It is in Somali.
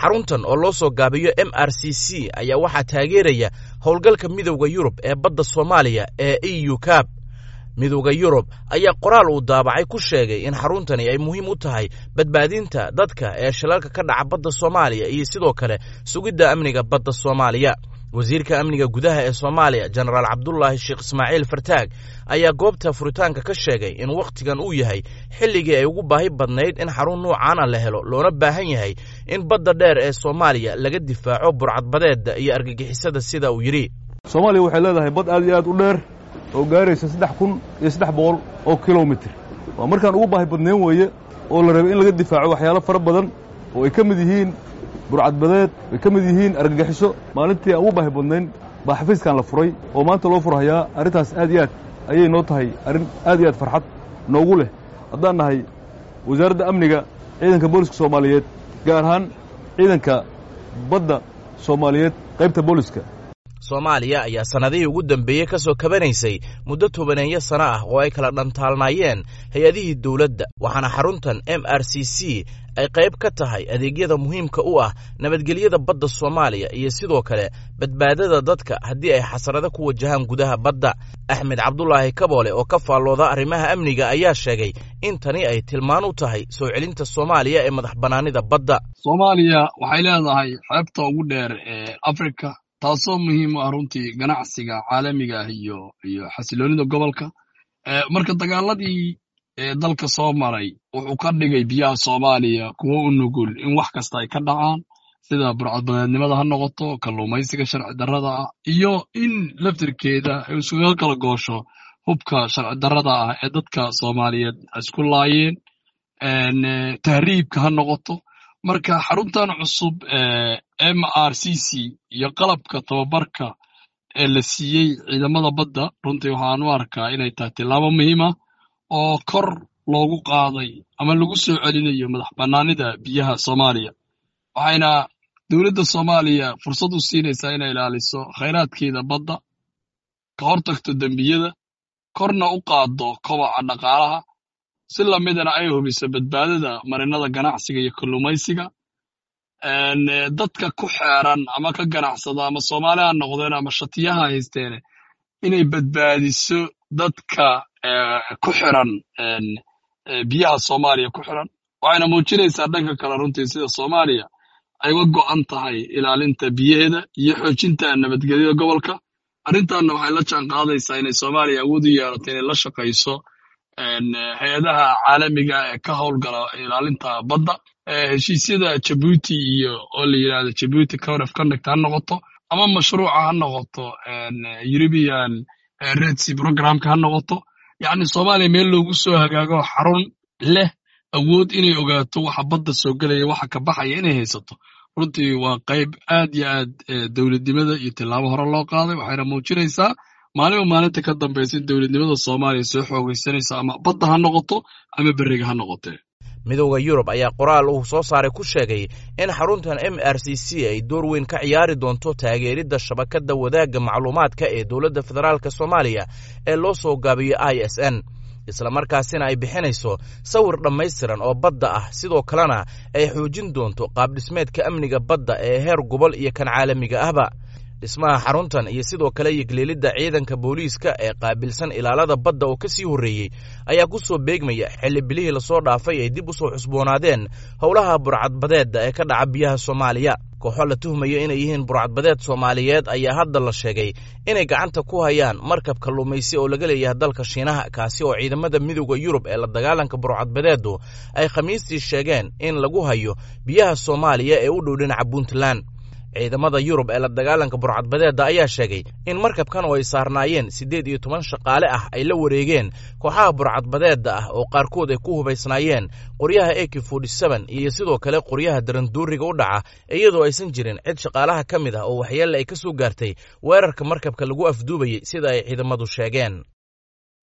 Xaruntan oo loo soo gaabiyo MRCC ayaa waxaa taageeraya howlgalka Midowda Yurub ee badda Soomaaliya ee EU CAB. Midowda Yurub ayaa qoraal uu daabacay ku sheegay in xaruntani ay muhiim u tahay badbaadinta dadka ee shilalka ka dhaca badda Soomaaliya iyo sidoo kale sugidda amniga badda Soomaaliya. Wasiirka amniga gudaha ee Soomaaliya, Jenaraal Cabdulaahi Sheekh Ismaaciil Fartaag, ayaa goobta furitaanka ka sheegay in wakhtigan uu yahay xilligii ay ugu baahi badnayd in xarun nuucaana la helo, loona baahan yahay in badda dheer ee Soomaaliya laga difaaco burcadbadeedda iyo argagixisada, sida uu yidhi. Soomaaliya waxay leedahay bad aad iyo aad u dheer oo gaaraysa 3300 oo kilomitir. Waa markaan ugu baahi badnayn weeye oo la rabay in laga difaaco waxyaalo fara badan oo ay ka mid yihiin burcadbadeed, ay ka mid yihiin argagixiso. Maalintii aan ugu baahi badnayn baa xafiiskan la furay oo maanta loo furhayaa. Arrintaas aad iyo aad ayay noo tahay arrin aad iyo aad farxad noogu leh haddaan nahay Wasaaradda Amniga, Ciidanka Booliska Soomaaliyeed, gaar ahaan Ciidanka Badda Soomaaliyeed, qaybta booliska. Soomaaliya ayaa sannadihii ugu dambeeyey ka soo kabanaysay muddo tobaneeyo sano ah oo ay kala dhantaalnaayeen hay-adihii dowladda, waxaana xaruntan MRCC ay qayb ka tahay adeegyada muhiimka u ah nabadgelyada badda Soomaaliya iyo sidoo kale badbaadada dadka haddii ay xasarado ku wajahaan gudaha badda. Axmed Cabdulaahi Kaboole oo ka faallooda arrimaha amniga ayaa sheegay in tani ay tilmaan u tahay soo celinta Soomaaliya ee madax bannaanida badda. Soomaaliya waxay leedahay xeebta ugu dheer ee Afrika, taasoo muhiim u ah runtii ganacsiga caalamiga ah iyo xasiloonida gobolka. Marka dagaaladii dalka soo maray wuxuu ka dhigay biyaha Soomaaliya kuwo u nugul in wax kasta ay ka dhacaan, sida burcadbadeednimada ha noqoto, kalluumaysiga sharci darrada ah iyo in laftirkeeda ay isuga kala goosho hubka sharci darrada ah ee dadka Soomaaliyeed isku laayeen, tahriibka ha noqoto. Marka xaruntan cusub MRCC iyo qalabka tababarka ee la siiyey ciidamada badda runtii waxaan u arkaa inay tahay tillaabo muhiima oo kor loogu qaaday ama lagu soo celinayo madax bannaanida biyaha Soomaaliya, waxayna dowladda Soomaaliya fursad u siinaysaa inay ilaaliso khayraadkeeda badda, ka hortagto dembiyada, korna u qaaddo kobaca dhaqaalaha, si lamidana ay hubiso badbaadada marinada ganacsiga iyo kalluumaysiga. Dadka ku xeeran ama ka ganacsada, ama Soomaali ha noqdeen ama shatiyaha haysteene, inay badbaadiso dadka ku xiran biyaha Soomaaliya ku xiran. Waxayna muujinaysaa dhanka kale runtii sida Soomaaliya ay uga go'an tahay ilaalinta biyaheeda iyo xoojinta nabadgelyada gobolka. Arrintanna waxay la jaan qaadaysaa inay Soomaaliya awood u yeelato inay la shaqayso hay-adaha caalamiga ee ka howlgala ilaalinta badda, heshiisyada Jabuuti iyo oo la yidhahdo Jabuuti Code of Conduct ha noqoto ama mashruuca ha noqoto European Red Sea Programka ha noqoto. Yacni Soomaaliya meel loogu soo hagaago, xarun leh awood inay ogaato waxa badda soo gelaya, waxa ka baxaya inay haysato, runtii waa qayb aad iyo aad dowladnimada iyo tillaabo hore loo qaaday. Waxayna muujinaysaa maalinba maalinta ka dambaysa in dowladnimada Soomaaliya soo xoogaysanaysa, ama badda ha noqoto ama berriga ha noqotee. Midowda Yurub ayaa qoraal uu soo saaray ku sheegay in xaruntan MRCC ay door weyn ka ciyaari doonto taageeridda shabakadda wadaagga macluumaadka ee dowladda federaalk Soomaaliya ee loo soo gaabiyo ISN, islamarkaasina ay bixinayso sawir dhammaystiran oo badda ah, sidoo kalena ay xoojin doonto qaabdhismeedka amniga badda ee heer gobol iyo kan caalamiga ahba. Dhismaha xaruntan iyo sidoo kale yegleelidda ciidanka booliiska ee qaabilsan ilaalada badda oo ka sii horreeyey ayaa ku soo beegmaya xilli bilihii lasoo dhaafay ay dib u soo cusboonaadeen howlaha burcadbadeedda ee ka dhaca biyaha Soomaaliya. Kooxo la tuhmayo inay yihiin burcadbadeed Soomaaliyeed ayaa hadda la sheegay inay gacanta ku hayaan markab kalluumaysi oo laga leeyahay dalka Shiinaha, kaasi oo ciidamada Midowda Yurub ee la dagaalanka burcadbadeedu ay Khamiistii sheegeen in lagu hayo biyaha Soomaaliya ee u dhow dhinaca Puntland. Ciidamada Yurub ee la dagaalanka burcadbadeedda ayaa sheegay in markabkan oo ay saarnaayeen 18 shaqaale ah ay la wareegeen kooxaha burcadbadeedda ah oo qaarkood ay ku hubaysnaayeen qoryaha AK iyo sidoo kale qoryaha daranduuriga u dhaca, iyadoo aysan jirin cid shaqaalaha ka mid ah oo waxyeelle ay ka soo gaartay weerarka markabka lagu afduubayey, sida ay ciidamadu sheegeen.